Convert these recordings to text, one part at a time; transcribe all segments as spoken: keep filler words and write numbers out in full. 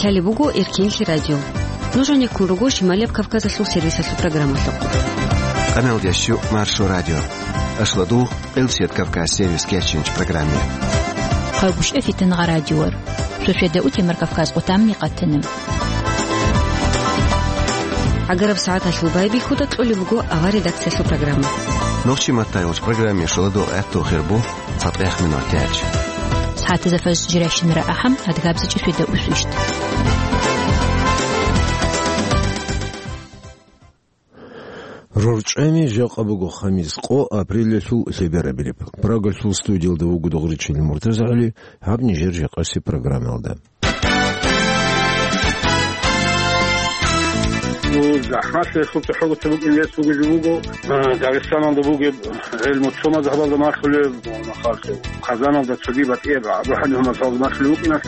Гьале буго Эркенлъи радио. Нуж гьанеккун руго Шималияб Кавказалъул сервисалъул программалъухъ. Къаналдящу Маршо радио. Ашладу, Къилсият Кавказ сервис кечинч программе. Хъагушев Фитнагъа радиор. Шошеда утемар Кавказ къутамни къатанам. Агараб сагӀаталъул байбихьуда кьолеб буго авар редакциялъул программа. Нохчи маттайолч программе шуладу гӀатту хирбу. Цадгъех минутач. СагӀатазда фажр жирайщинара ахӀам, адгабзичӀи свида усвищт. РорчӀами жакъа буго хамис къо апрелалъул лъеберабилеб. Прагалъул студиялда вуго Дугъричил МуртазагӀали, гьаб нижер жакъаси программалда. Ну, захӀмалъи гьесул цохӀо гуца букӀин рес бугеб жо буго. А, Дагъистаналда бугеб гӀелму цо мазгьабалда малъулеб, Казаналда цоги батӀияб АбухӀанифа мазгьабалда малъулеб букӀиналъ.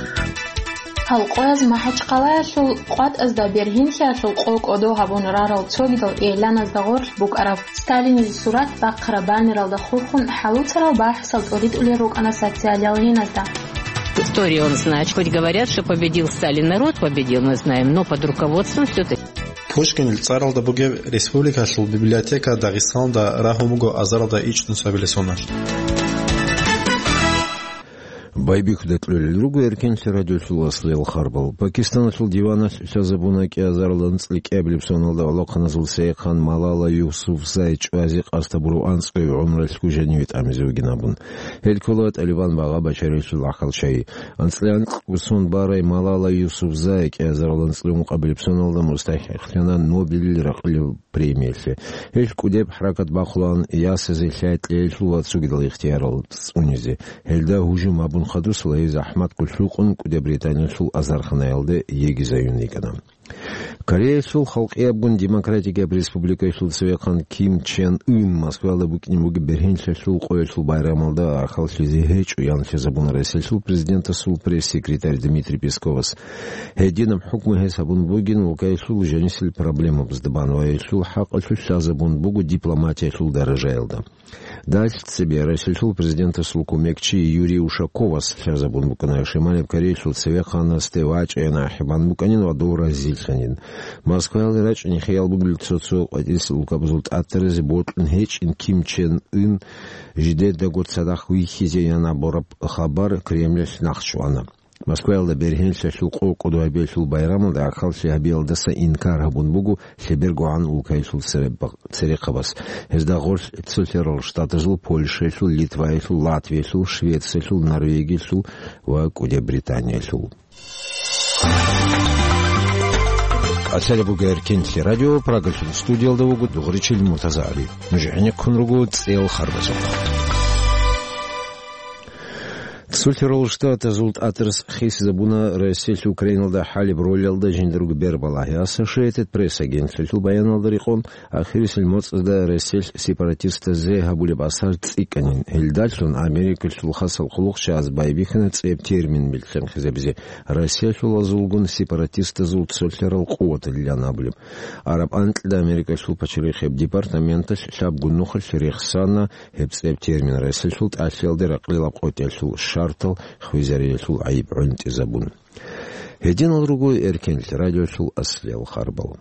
Гьалкъояз МахӀачхъалаялъул къватӀазда бергьенлъиялъул къо кӀодо гьабун рарал цогидал игӀланазда гъорлъ букӀараб Сталинил сурат бахъараб баннералда хурхун хӀалуцарал бахӀсал тӀуритӀулел рукӀана социалиал гьеназда. История он знает. Хоть говорят, что победил Сталин, народ победил, мы знаем, но под руководством всё-таки. Пушкинил цӀаралда бугеб республикалъул библиотека Дагъистаналда рагьун буго азаралда ичӀнусабилеб соналъ. Байбихьуда кьолел руго Эркенлъи радиолъул аслиял харбал. Пакистаналъул диваналъ лъазабуна кӀиазарал анцӀила кӀиабилеб соналда гӀолохъаназул цевехъан Малала Юсуфзай чӀвазе къасд гьабураб анцӀгояб гӀумруялъго жаниве тӀамизе вугин абун. Гьел ккола ТӀалибан багъа бачарилъул гӀахьалчагӀи. АнцӀила анкьго сон барай Малала Юсуфзай кӀиазарал анцӀила ункъабилеб соналда мустахӀикълъана Нобелил ракъилаб премиялъе. Гьел кӀудеб хӀаракат бахъулаан ясазе лъай-кьеялъул ва цогидал ихтиярал цӀунизе. Гьелда гьужум гьабун хадусала гьез захӀматго лъукъун КӀуди Британиялъул азарханаялде йигизаюн йикӀана. Кореялъул Халкъиябгун Демократикияб Республикаялъул цевехъан Ким Чен Ын Москваялда букӀине бугеб бергьенлъиялъул къоялъул байрамалда ахаллъизе гьечӀо, ян лъазабуна Россиялъул Президентасул пресс-секретарь Дмитрий Песковас. Гьединаб хӀукму гьес гьабун бугин улкаялъул жанисел проблемабазда бан ва гьелъул хӀакъалъулъ лъазабун буго дипломатиялъул даражаялда. Дагьалъ цебе Россиялъул Президентасул кумекчи Юрий Ушаковас лъазабун букӀана Шималияб Кореялъул цевехъанасде вачӀайин ахӀи бан букӀанин ва дов разилъанин. Москваялде рачӀине хиял бугел цо-цо къватӀирсел улкабазул тӀатаразе бокьун гьечӀин Ким Чен Ын жидедаго цадахъ вихьизе ян абураб хабар Кремлалъ нахъчӀвана. Москваялда бергьенлъиялъул къо кӀодо гьабиялъул байрамалда ахаллъи гьабиялдаса инкар гьабун буго лъебергогӀан улкаялъул цереб-, церехъабаз. Гьезда гъорлъ Цолъарал Штатазул, Польшаялъул, Литваялъул, Латвиялъул, Швециялъул, Норвегиялъул ва КӀуди Британиялъул. Къасияб буго Эркенлъи радио, Прагалъул студиялда вуго Дугъричил МуртазагӀали. Нуж гӀенеккун руго цӀел харбазухъ. Цолъарал Штатазул тӀатарас хисизабуна Россиялъ Украиналда хӀалеб ролалда жиндарго бербалагьи. Associated Press агентствоялъул баяналда рекъон, ахирисел моцӀазда Россиялъ сепаратистазе гьабулеб асар цӀикӀкӀанин. Гьелдалъун Америкалъул хасал хъулухъчагӀаз байбихьана цӀеб термин билълъанхъизабизе: Россиялъулазулгун сепаратистазул цолъарал къуваталилан абулеб. Араб анкьида Америкалъул пачалихъияб департаменталъ лъабго нухалъ рехсана гьеб цӀеб термин Россиялъул тӀалъиялде ракъилаб къотӀиялъул шартал хвезариялъул гӀайиб гӀунтӀизабун. Гьединал руго Эркенлъи радиолъул аслиял харбал.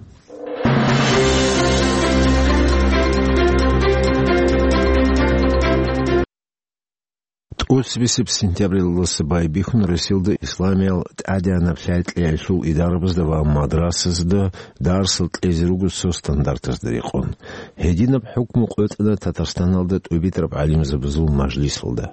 ТӀоцебесеб сентябралдаса байбихьун Россиялда исламиял тӀадегӀанаб лъай-кьейалъул идарабазда ва мадрасазда дарсал кьезе руго цо стандартазда рекъон. Гьединаб хӀукму къотӀана Татарстаналда тӀубитӀараб гӀалимзабазул мажлисалда.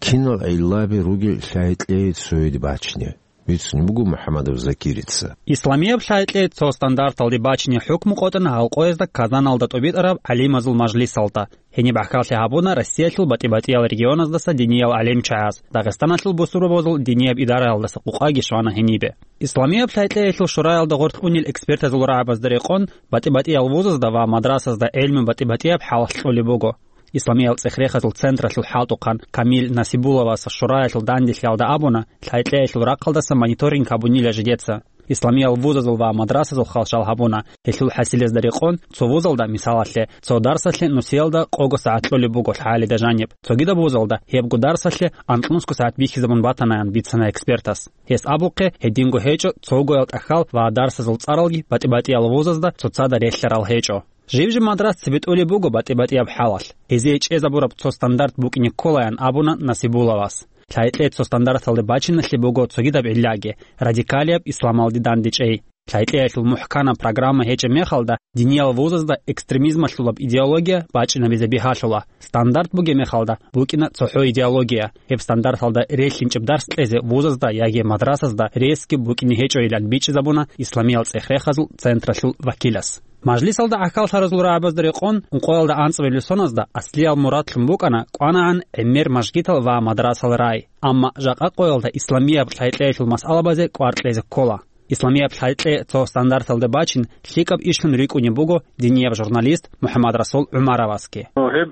Кинал гӀиллаби ругел лъай-кьей цояде бачине? Бицун буго МухӀаммадов Закирица. Исламияб лъай-кьей цо стандарталде бачине хӀукму къотӀана гьалкъоязда Казаналда тӀубитӀараб гӀалимазул мажлисалда. Гьениб гӀахьаллъи гьабуна Россиялъул батӀи-батӀиял регионаздаса диниял гӀалимчагӀаз, Дагъистаналъул бусурбабазул динияб идараялдаса къукъаги щвана гьенибе. Исламияб лъай-кьеялъул шураялда гъорлъ унел экспертазул рагӀабазда рекъон, батӀи-батӀиял вузазда ва мадрасазда гӀелму батӀи-батӀияб хӀалалъ кьолеб буго. Исламиял цӀех-рехазул централъул хӀалтӀухъан Камил Насибулловас шураялъул данделъиялда абуна, лъай-кьеялъул рахъалдаса мониторинг гьабунила жидеца. Исламиял вузазул ва мадрасазул халщал гьабуна. Гьелъул хӀасилезда рекъон, цо вузалда, мисалалъе, цо дарсалъе нусиялда къого сагӀат кьолеб буго лъагӀалида жаниб. Цогидаб вузалда гьебго дарсалъе анкьнусго сагӀат бихьизабун батанаян бицана экспертас. Гьес абухъе, гьединго гьечӀо цогоял тӀахьал ва дарсазул цӀаралги батӀи-батӀиял вузазда цоцазда релълъарал гьечӀо. Жиб-жиб мадрас цебетӀолеб буго батӀи-батӀияб хӀалалъ. Гьезие чӀезабураб цо стандарт букӀине кколаян абуна Насибуловас. Лъайкье цо стандарталде бачиналъе буго цогидаб гӀиллаги, радикалияб исламалде дандечӀей. Лъайкьеялъул мухӀканаб программа гьечӀеб мехалда, диниял вузазда экстремизмалъулаб идеология бачӀинабизе бигьалъула. Стандарт бугеб мехалда, букӀина цохӀо идеология. Гьеб стандарталда релълъинчӀеб дарс кьезе вузазда яги мадрасазда ресги букӀине гьечӀойилан бичӀчӀизабуна исламиял цӀех-рехазул централъул вакилас. Мажлисалда гӀахьаллъаразул рагӀабазда рекъон, ункъоялда анцӀабилеб соназда аслиял мурадлъун букӀана кӀванагӀан гӀемер мажгитал ва мадрасал рай. Амма жакъа къоялда исламияб лъайкьеялъул масъалабазе кӀвар кьезе ккола. Исламияб лъайкье цо стандарталда бачин лъикӀаб ишлъун рикӀкӀунеб буго динияб журналист МухӀаммадрасул ГӀумаровасги. Гьеб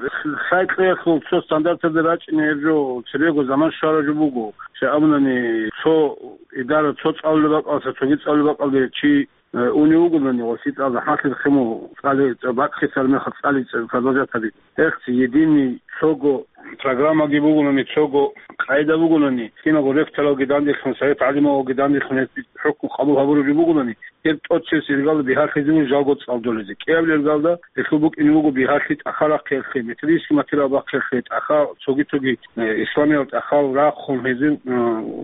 лъайкьеялъул цо стандарталда рачӀине гьеб жо цебего заман щвараб жо буго. Щай абунани, цо идара цо цӀалулеб бакӀалдаса цоги цӀалулеб бакӀалде чи, э, унев вугони ва лъикӀал захӀмалъи хъиму цӀали-, цӀа-, бакӀлъисар мехалъ цӀали-, цӀа-, продолжать гьабизе. Гьехъ единый цого программаги бугони, цого къайда бугони, киналго ректоралги данделъун, совет гӀалималги данделъун гьеб хӀукму къабул гьабураб жо бугони, гьеб тӀоцебесеб иргалда бигьалъизе буго жалго цӀалдолезе. КӀиабилеб иргалда гьелъул букӀине буго бигьалъи тӀахьал рахъиялъе, методический материал бахъиялъе, тӀахьал цоги-цоги, э, исламиял тӀахьал рахъун гьезин, э,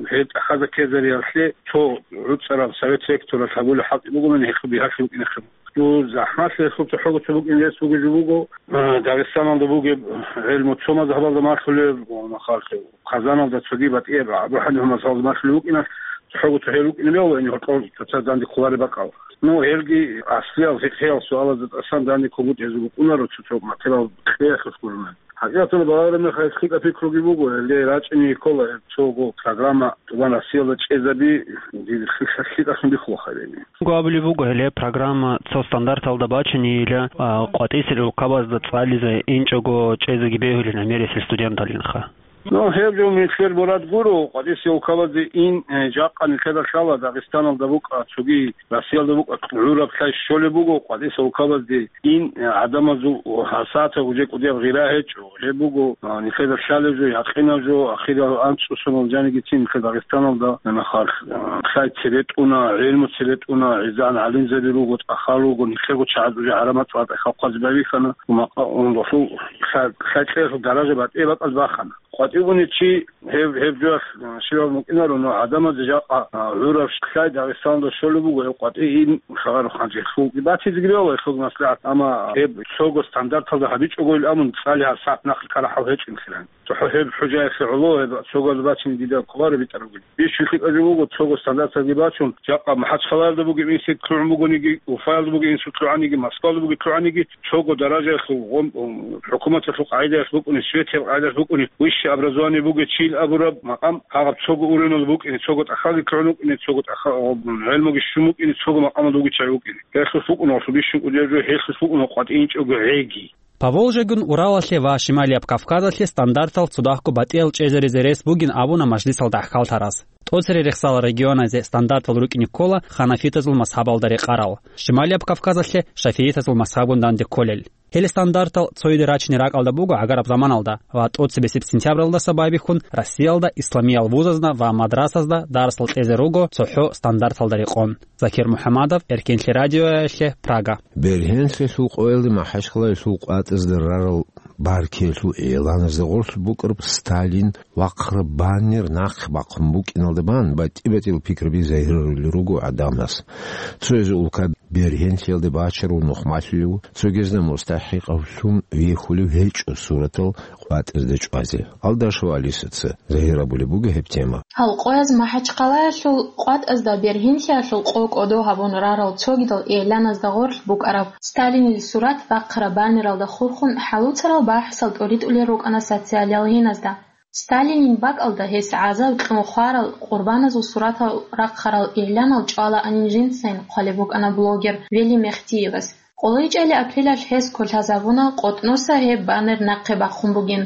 гьел тӀахьазда ккезариялъе цо гӀуцӀараб совет ректоралъ гьабулеб хӀалтӀи бугони, гьелъул бигьалъи букӀине хъиб. Цо захӀмалъи гьелъул цохӀого цо букӀин рес бугеб жо буго, э, Дагъистаналда бугеб гӀелму цо мазгьабалда малъулеб, ва махалъе Казаналда цоги батӀияб Абу ХӀанифа мазгьабалда малъулеб букӀиналъ цохӀого цо гьел рукӀине бегьула, ин гьоркьор цоцаз данде кколареб бакӀал. Ну, гьелги аслиял фикъгьиял суалазда тӀасан данде кколеб букӀине букӀунаро цо-цо материал кьеялъулъ гурони. ХӀакъикъаталда балагьараб мехалъ лъикӀаб пикруги буго, гьеле рачӀине ккола гьеб цого программа тӀубан Россиялда чӀезаби, дир лъикӀалъун бихьулаха гьеб. Гьабулеб буго гьеле программа цо стандарталда бачинейила, а, къватӀисел улкабазда цӀализе инчӀого чӀезеги бегьулин гӀемерисел студенталинха. Ну, гьеб жо нилъер мурад гуро, къватӀисел улкабазде ин, э, жакъа нилъеда лъала Дагъистаналда букӀа, цоги Россиялда букӀа, гӀураб лъай щолеб буго, къватӀисел улкабазде ин, э, гӀадамазул гьасатаб уже кӀудияб гъира гьечӀо. Гьеб буго, а, нилъеда лъалеб жо, якъинаб жо, ахирал анцӀусунал жанигицин нилъер Дагъистаналда, нахал, а, лъай цебетӀуна, гӀилму цебетӀуна, гӀезегӀан гӀалимзаби руго, тӀахьал руго, нилъего чагӀаз уже гӀараб мацӀалда тӀахьал хъвазе байбихьана, ва макъа-, ундулъул лъай-, лъай кьеялъул даража батӀи бакӀалде бахана. КъватӀивгуни чи гьеб, гьеб жоялъ, а, щибаб мукӀинаро, но гӀадамазе жакъа, а, гӀураб лъай Дагъистаналда щолеб буго, гьеб къватӀи ин лъагӀарухъан жеклъул. Батизе гиревала гьелъул маслигӀат, амма гьеб цого стандарталда гьабичӀого ил абун, цӀали гьаб сагӀат нахъе ккарахӀал гьечӀин хиран. ЦохӀо гьеб хӀужаялъе гӀоло, гьеб цогоялда бачине дида кколаро битӀарабгин. Бищун лъикӀаб жо буго, цого стандарталги бачун, жакъа МахӀачхъалаялда бугеб институт лъугӀун бугониги, Уфаялда бугеб институт лъугӀаниги, Москваялда бугеб лъугӀаниги, цого даражаялъул гъом-, гъом-, хӀукуматалъул къагӀидаялъ букӀуни, светияб къагӀидаялъ букӀуни, высшее образование бугев чиял абураб макъам гьагъаб цого уровнелда букӀине, цого тӀахьалги лъугӀун вукӀине, цого тӀахьа-, гъоб-, гӀелмуги щун букӀине, цого макъамалда вугев чагӀи вукӀине. Гьелъулъ букӀуна гьелъул бищун кӀудияб жо, гьелъулъ букӀуна къватӀинчӀого гӀеги. Поволжьегун Уралалъе ва Шималияб Кавказалъе стандартал цодахъго батӀиял чӀезаризе рес бугин абуна мажлисалда гӀахьаллъараз. ТӀоцере рехсал регионазе стандартал рукӀине ккола ханафитазул мазгьабалда рекъарал, Шималияб Кавказалъе шафиитазул мазгьабгун данде кколел. Гьел стандартал цояде рачине ракӀалда буго гӀагараб заманалда ва тӀоцебесеб сентябралдаса байбихьун Россиялда исламиял вузазда ва мадрасазда дарсал кьезе руго цохӀо стандарталда рекъон. Закир МухӀамадов, Эркенлъи радиоялъе, Прага. Бергьенлъиялъул къоялде МахӀачхъалаялъул къватӀазда рарал баркиялъул игӀланазда гъорлъ букӀараб Сталин вахъараб баннер нахъе бахъун букӀиналда бан батӀи-батӀиял пикраби загьирарулел руго гӀадамаз. Цоязе улкаялда бергьенлъиялде бачарав нухмалъулев, цогезда мустахӀикъав лъун вехулев гьечӀо суратал къватӀазда чӀвазе. Алдашева Алисаца загьир гьабулеб буго гьеб тема. Гьал къояз МахӀачхъалаялъул къватӀазда бергьенлъиялъул къо кӀодо гьабун рарал цогидал игӀланазда гъорлъ букӀараб Сталинил сурат бахъараб баннералда хурхун хӀалуцарал бахӀсал тӀоритӀулел рукӀана социалиялгьиназда. Сталинил бакӀалда гьес гӀазаб кьун хварал къурбаназул суратал рахъарал игӀланал чӀвалаанин жинцайин хъвалеб букӀана блогер Вели Мехтиевас. КӀолайчӀели апрелалъ гьес кколъазабуна, къотӀноса гьеб баннер нахъе бахъун бугин.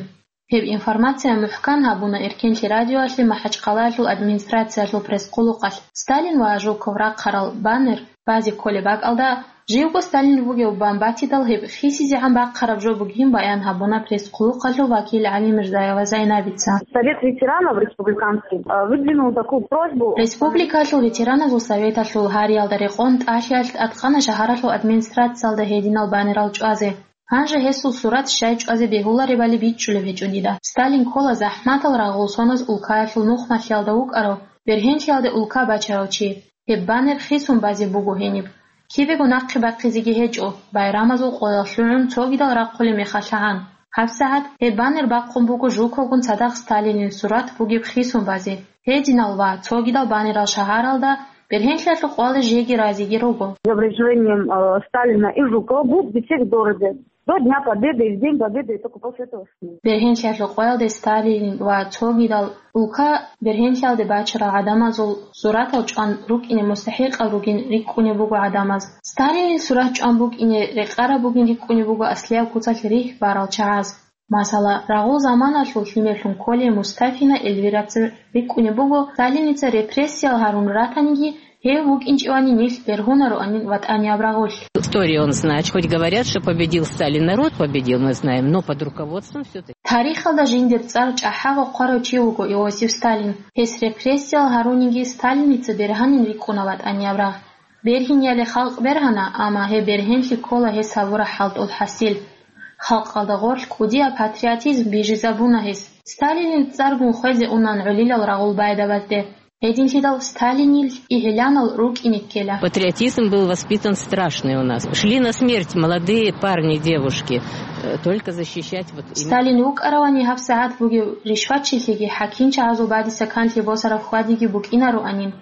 Гьеб информация мухӀкан гьабуна Эркенлъи радиоялъе МахӀачхъалаялъул администрациялъул пресс-къуллукъалъ. Сталин ва Жуков рахъарал баннер базе кколеб бакӀалда, живго Сталин вугев бан батидал, гьеб хисизегӀан бахъараб жо бугин баян гьабуна пресс-къуллукъалъул вакил ГӀалимирзаева Зайнабица. Совет ветеранов республиканский, э, выдвинул такую просьбу. Республикалъул ветераназул советалъул гьариялда рекъон тӀалъиялъ тӀадкъана шагьаралъул администрациялда гьединал баннерал чӀвазе. Гьанже гьесул сурат щай чӀвазе бегьуларебали бичӀчӀулеб гьечӀо дида. Сталин ккола захӀматал рагъул соназ улкаялъул нухмалъиялда вукӀарав, бергьенлъиялде улка бачарав чи. Гьеб баннер хисун базе буго гьениб. Кибего нахъе бахъизеги гьечӀо, байрамазул къоялъ лъугӀун цогидал рахъулеб мехалъагӀан. ГьабсагӀат гьеб баннер бахъун буго Жуковгун цадахъ Сталинил сурат бугеб хисун базе. Гьединал ва цогидал баннерал шагьаралда бергьенлъиялъул къвале жеги разиги руго. За вреждением, э, Сталина и Жукова будут висеть в городе до Дня Победы и в День Победы, и только после этого снимут. Бергьенлъиялъул къвалде Сталин ва цогидал улка бергьенлъиялде бачарал гӀадамазул суратал чӀван рукӀине мустахӀикъал ругин рикӀкӀунеб буго гӀадамаз. Сталинил сурат чӀван букӀине рекъараб бугин рикӀкӀунеб буго аслияб куцалъ рихь барал чагӀаз. Масала, рагъул заманалъул лъимерлъун кколей Мустафина Эльвираца рикӀкӀунеб буго, Сталиница репрессиял гьарун ратаниги, гьев вукӀинчӀевани нилъ бергьунароанин ватӀанияб рагъулъ. Историю он знает, хоть говорят, что победил Сталин, народ победил, мы знаем, но под руководством всё-таки. Тарихалда жиндир цӀар чӀахӀаго хъварав чи вуго Иосиф Сталин. Гьес репрессиял гьаруниги Сталиница бергьанин рикӀкӀуна ватӀанияб рагъ. Бергьинияли халкъ бергьана, амма гьеб бергьенлъи ккола гьес гьабураб хӀалтӀул хӀасил. Халкъалда гъорлъ кӀудияб патриотизм бижизабуна гьес. Сталинил цӀаргун хвезе унан гӀолилал рагъул байдабазде. Гьединлъидал Сталинил игьиланал рукӀине ккела. Патриотизм был воспитан страшный у нас. Шли на смерть молодые парни, девушки, э, только защищать вот именно. Сталин вукӀаравани гьабсагӀат бугев ришватчилъиги хӀакимчагӀазул бадиса канлъи босараб хьвадиги букӀинароанин.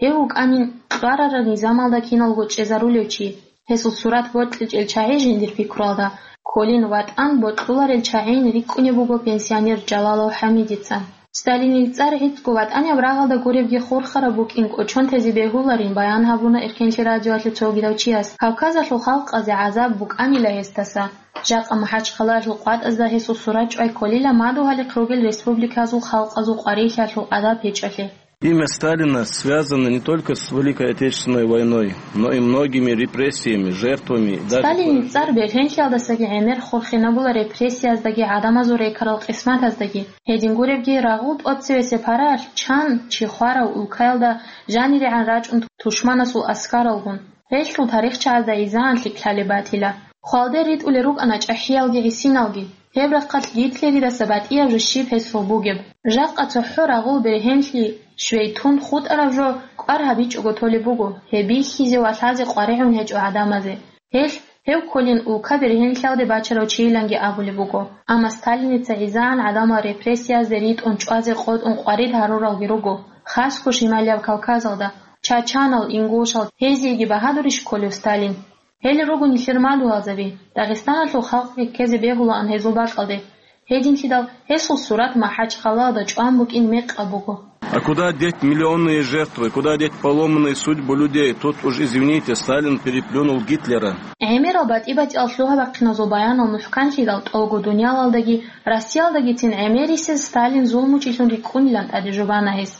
Гьев вукӀанин кьварараб низамалда киналго чӀезарулев чи. Гьесул сурат бокьичӀел чагӀи жиндир пикруялда кколин ватӀан бокьуларел чагӀийин рикӀкӀунеб буго пенсионер Жалалов ХӀамидица. Сталинил цӀар гӀицӀго ватӀанияб рагъалда гуребги хурхараб букӀин кӀочон тезе бегьуларин баян гьабуна Эркенлъи радиоялъе цогидав чияс. Кавказалъул халкъазе гӀазаб букӀанила гьесдаса. Жакъа МахӀачхъалаялъул къватӀазда гьесул сурат чӀвай кколила мадугьалихъ ругел республиказул халкъазул къварилъиялъул адаб гьечӀолъи. Имя Сталина связано не только с Великой Отечественной войной, но и многими репрессиями, жертвами и даже Сталинил цӀар бергьенлъиялдасаги гӀемер хурхинабула репрессияздаги гӀадамазул рекарал къисматаздаги. Гьедин гуребги, рагъул тӀоцевесеб гьаралъ чан чи хварав улкаялда жанирегӀан рачӀун тушманасул аскаралгун. Гьелъул тарихчагӀазда изаан лъикӀлъалеб батила. Хвалде ритӀулел рукӀана чӀахӀиялги гӀисиналги. Гьеб рахъалъ Гитлеридаса батӀияб жо щиб гьесул бугеб. Жакъа цохӀо рагъул бергьенлъи щвей тун хутӀараб жо кӀвар гьабичӀого толеб буго, гьеб бихьизе ва лъазе къваригӀун гьечӀо гӀадамазе. Гьелъ, гьев кколин улка бергьенлъиялде бачарав чийиланги абулеб буго. Амма Сталиница гӀизагӀан гӀадамал репрессиязде ритӀун чӀвазе къотӀун къварид гьаруралги руго, хасго шималияб Кавказалда, чачанал, ингушал, гьезиеги багьадурищ кколев Сталин? Гьел руго нилъер мадугьалзаби, Дагъистаналъул халкъги ккезе бегьулаан гьезул бакьалде. Гьединлъидал гьесул сурат МахӀачхъалаялда чӀван букӀин мекъаб буго. А куда деть миллионные жертвы, куда деть поломанные судьбы людей? Тут уж, извините, Сталин переплюнул Гитлера. ГӀемерал батӀи-батӀиял лъугьа-бахъиназул баянал мухӀканлъидал тӀолго дуниялалдаги, Россиялдагицин гӀемерисез Сталин зулмучилъун рикӀкӀунилан тӀаде жубана гьес.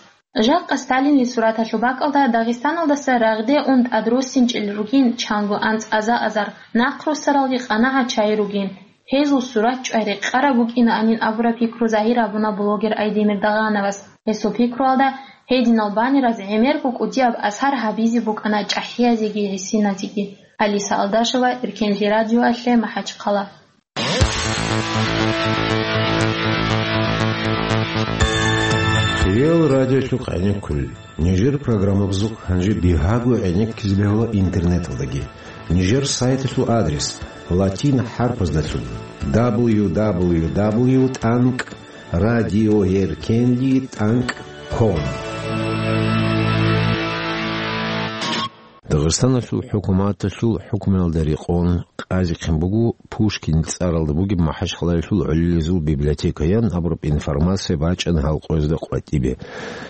Жакъа Сталинил сураталъул бакӀалда Дагъистаналдаса рагъде ун тӀадруссинчӀел ругин чанго анцӀаза азар, нахъруссаралги къанагӀа чагӀи ругин. Гьезул сурат чӀвай рекъараб букӀинаанин абураб пикру загьир гьабуна блогер Айдемир Дагъановас. Гьесул пикруялда, гьединал баннераз гӀемерго кӀудияб асар гьабизе букӀана чӀахӀиязеги гӀисиназеги. Алиса Алдашева, Эркенлъи радиоялъе, МахӀачхъала. Реал радиолъухъ гӀенеккулел. Нижер программабазухъ гьанже бигьаго гӀенеккизе бегьула интернеталдаги. Нижер сайталъул адрес латин хӀарпаздалъун: дабл ю дабл ю дабл ю тӀанкӀ радиоеркенлъи тӀанкӀ ком. Дагъистаналъул хӀукуматалъул хӀукмуялда рекъон къазихъин буго Пушкин цӀаралда бугеб МахӀачхъалаялъул гӀолилезул библиотека, ян абураб информация бачӀана гьал къоязда къватӀибе.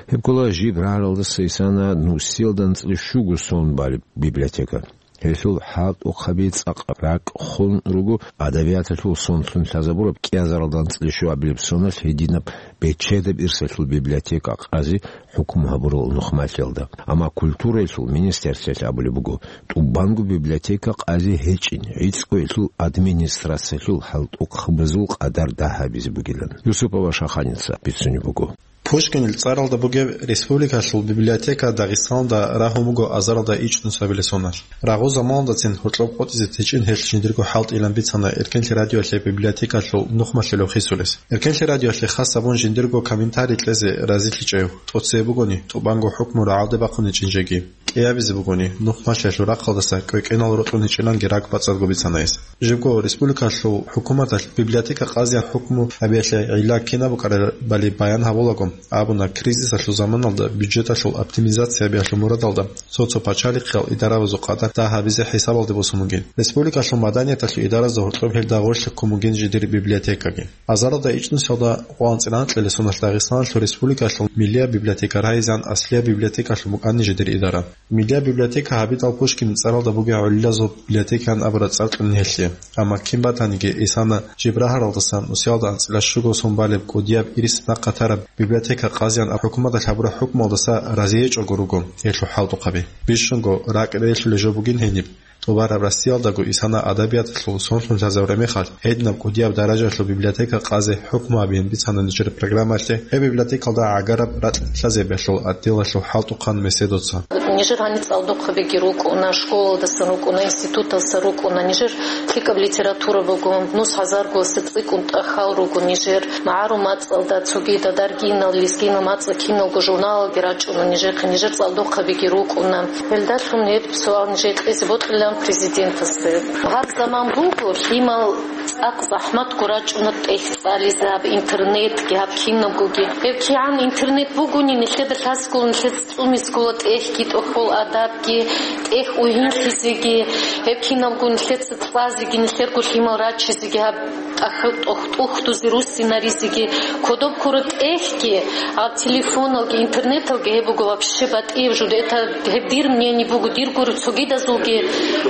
Гьеб ккола жиб рагӀаралдаса исана нусиялда анцӀила щуго сон балеб библиотека. Гьелъул хӀалтӀухъаби цӀакъ ракӀ хун руго адабияталъул сонлъун лъазабураб кӀиазаралда анцӀила щуабилеб соналъ гьединаб бечедаб ирсалъул библиотека къазе хӀукму гьабурал нухмалъиялда. Амма культураялъул министерствоялъ абулеб буго, тӀубанго библиотека къазе гьечӀин, гӀицӀго гьелъул администрациялъул хӀалтӀухъабазул къадар дагь гьабизе бугилан. Юсупова Шаханица бицунеб буго. Пушкинил цӀаралда бугеб республикалъул библиотека Дагъистаналда рагьун буго азаралда ичӀнусабилеб соналъ. Рагъул заманалдацин гьоркьоб къотӀизе течӀин гьелъ жиндирго хӀалтӀилан бицана Эркенлъи радиоялъе библиотекалъул нухмалъулев хисулес. Эркенлъи радиоялъе хас гьабун жиндирго комментарий кьезе разилъичӀев тӀоцебе бугони, тӀубанго хӀукму рагӀалде бахъун гьечӀин жеги. КӀиабизе бугони, нухмалъиялъул рахъалдаса кӀвекӀенал рокьун гьечӀиланги ракӀ бацӀцӀадго бицана гьес. Жибго республикалъул хӀукуматалъ библиотека къазеян хӀукму гьабиялъе гӀилла кинаб букӀарабали баян гьабулаго, абуна, кризисалъул заманалда бюджеталъул оптимизация гьабиялъул мурадалда цо-цо пачалихъиял идарабазул къадар дагь гьабизе хӀисабалде босун бугин. Республикалъул маданияталъул идаразда гьоркьоб гьелда гъорлъ ккун бугин жидер библиотекаги. Азаралда ичӀнусиялда къвалан цӀиран анкьилеб соналъ Дагъистаналъул республикалъул миллияб библиотека рагьизеян аслияб библиотекалъун букӀана жидер идара. Миллияб библиотека гьабидал Пушкинил цӀаралда бугеб гӀолилазул библиотекаан абураб цӀар кьун гьелъие. Амма кин батаниги, исана жиб рагьаралдасан нусиялда анцӀила щуго сон балеб кӀудияб ирис нахъа тараб библиотека къазеян хӀукуматалъ гьабураб хӀукмуялдаса разиечӀого руго гьелъул хӀалтӀухъаби. Бищунго ракӀ релълъулеб жо бугин гьениб. ТӀубараб Россиялдаго исана адабияталъул сонлъун лъазабураб мехалъ, гьединаб кӀудияб даражаялъул библиотека къазе хӀукму гьабиин бицана нижер программаялъе, гьеб библиотекалда гӀагараб ракь лъазабиялъул отделалъул хӀалтӀухъан Меседоца. Нижер гьаниб цӀалдохъабиги рукӀуна, школалдасан рукӀуна, институталдаса рукӀуна, нижер лъикӀаб литература буго, нус гьазарго цӀикӀкӀун тӀахьал руго нижер, магӀарул мацӀалда, цогидал даргинал, лезгинал мацӀал киналго журналалги рачӀуна нижехъе, нижер цӀалдохъабиги рукӀуна. Гьелдалъун гьеб суал нижее кьезе бокьилан президентасда. Гьаб заман буго, лъимал цӀакъ захӀматго рачӀуна тӀехь цӀализе гьаб интернетги, гьаб кинабгоги. Гьеб кигӀан интернет бугони, нилъеда лъаскула, нилъеца цӀумискула тӀехьги, тӀохьол адабги, тӀехь угьинлъизеги, гьеб кинабго нилъеца цӀазеги, нилъерго лъимал рачизеги гьаб тӀахьал тӀох-, тӀухдузе руссинаризеги, кодоб ккураб тӀехьги, гьаб телефоналги, интернеталги гьеб буго вообще батӀияб жо. Это гьеб дир мнение буго, дирго цогидазулги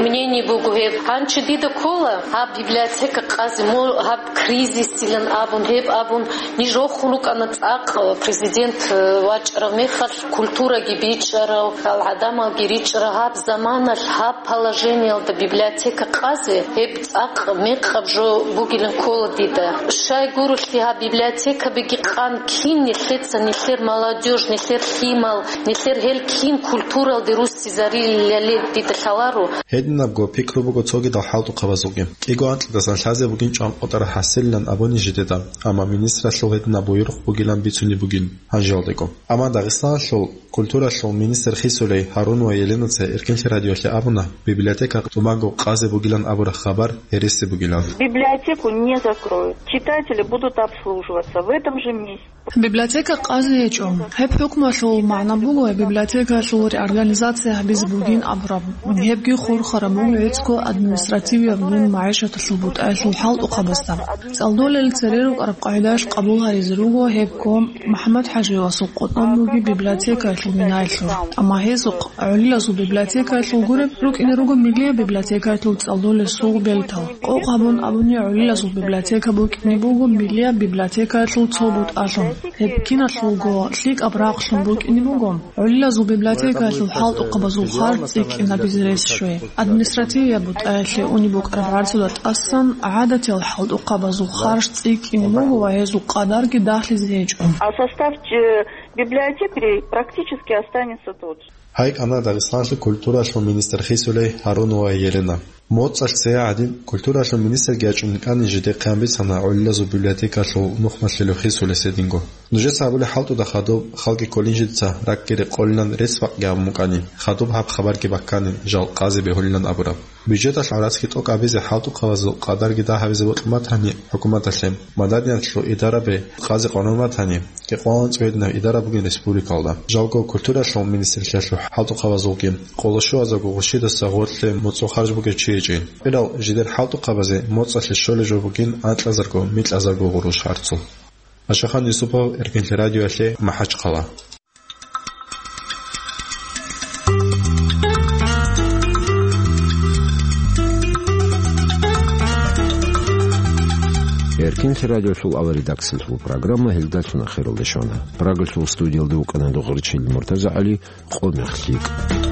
мнение буго гьеб. Гьанже дида ккола гьаб библиотека къазе, мо-, гьаб кризисилан абун, гьеб абун, ниж рохун рукӀана цӀакъ президент, э, вачӀарав мехалъ культураги бичӀчӀарав, гьал гӀадамалги ричӀчӀарав гьаб заманалъ гьаб положениялда библиотека къазе, гьеб цӀакъ мекъаб жо бугилан ккола дида. Щай гурелъул гьаб библиотекабиги къан кин нилъеца, нилъер молодёжь, нилъер лъимал, нилъер гьел кин культуралде руссизарилали дида лъаларо. Гьединабго пикру буго цогидал хӀалтӀухъабазулги. КӀиго анкьидасан лъазе бугин чӀванкъотӀараб хӀасилилан абуни жидеда, амма министралъул гьединаб буюрухъ бугилан бицунеб бугин гьанжалдего. Амма Дагъистаналъул культуралъул министр хисулей Гьарунова Еленаца Эркенлъи радиоялъе абуна, библиотека тӀубанго къазе бугилан абураб хабар гьереси бугилан. Библиотеку не закроют. Читатели будут обслуживаться в этом же месте. Библиотека къазе гьечӀо. Гьеб хӀукмуялъул магӀна буго, гьеб библиотекаялъул реорганизация гьабизе бугин абураб. Гьебги хурхараб буго гӀицӀго административияб мун магӀишаталъул бутӀаялъул хӀалтӀухъабазда. ЦӀалдолел цере рукӀараб къагӀидаялъ къабул гьаризе руго гьебго МухӀаммад-ХӀажиевасул къотӀноб бугеб библиотекаялъул минаялъул. Амма гьезухъ гӀолилазул библиотекаялъул гуреб рукӀине руго миллияб библиотекаялъул цӀалдолел сугъ бертал. Къокъ гьабун абуни, гӀолилазул библиотека букӀине буго миллияб библиотекаялъул цо бутӀалъун. Гьеб киналъулго лъикӀаб рахълъун букӀине буго гӀолилазул библиотекаялъул хӀалтӀухъабазул харж цӀикӀкӀинабизе рес щвей. Административияб бутӀаялъе унеб букӀараб гӀарцуда тӀасан гӀадатиял хӀалтӀухъабазул харж цӀикӀкӀине буго ва гьезул къадарги дагьлъизе гьечӀо. А состав, э, библиотекарей практически останется тот же. Гьай кӀана Дагъистаналъул культуралъул министр хисулей Гьарунова Елена. МоцӀалъ цее гӀадин, культуралъул министрги ячӀун кӀани жидехъе гьанбицана гӀолилазул библиотекалъул нухмалъулев хисулес гьединго. Нужеца абулеб хӀалтӀуда хадуб халги кколин жидеца ракӀги рекъолилан рецц-бакъги гьабун букӀани, хадуб гьаб хабарги баккани, жал къазе бегьулилан абураб. Бюджеталъ гӀарацги тӀокӀабизе хӀалтӀухъабазул къадарги дагь гьабизе бокьун батани хӀукуматалъе, маданияталъул идарабе къазе къваригӀун батани, кӀикъоялда анцӀила гьединаб идара бугин республикалда. Жалго культуралъул министрлъиялъул хӀалтӀухъабазулги къоло щуазарго гъурущидаса гъорлъе моцӀул харж бугев чи гьечӀин. Къирал жидер хӀалтӀухъабазе моцӀалъе щолеб жо бугин анкьазарго-микьазарго гъурущ гӀарцул. Ашахан Юсупов, Эркенлъи радиоялъе, МахӀачхъала. Инхи радиолъул аваридаксалъул программа гьелдалъун ахиралде щвана. Прагалъул студиялда вукӀана Дугъричил МуртазагӀали, «Къо мех лъикӀ».